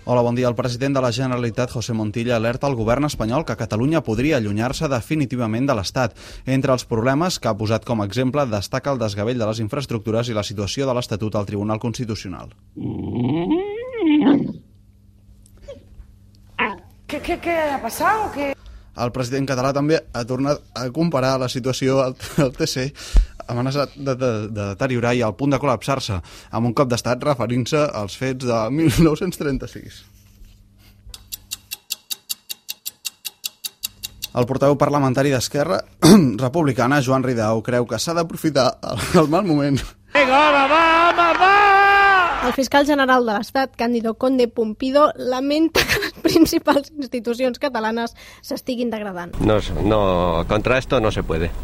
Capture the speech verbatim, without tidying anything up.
Hola, bon dia. El president de la Generalitat, José Montilla, alerta al govern espanyol que Catalunya podria allunyar-se definitivament de l'Estat. Entre els problemes que ha posat com a exemple destaca el desgavell de les infraestructures i la situació de l'Estatut al Tribunal Constitucional. ¿Qué, qué, qué ha pasado? ¿Qué? El president català també ha tornat a comparar la situació al, al T C, amenaçat de, de, de deteriorar i al punt de col·lapsar-se, amb un cop d'estat referint-se als fets de mil nou-cents trenta-sis. El portaveu parlamentari d'Esquerra Republicana, Joan Ridao, creu que s'ha d'aprofitar el, el mal moment. Vinga, home, va, home, va! El fiscal general de l'Estat, Cándido Conde Pumpido, lamenta que les principals institucions catalanes s'estiguin degradant. No, no, contra esto no se puede.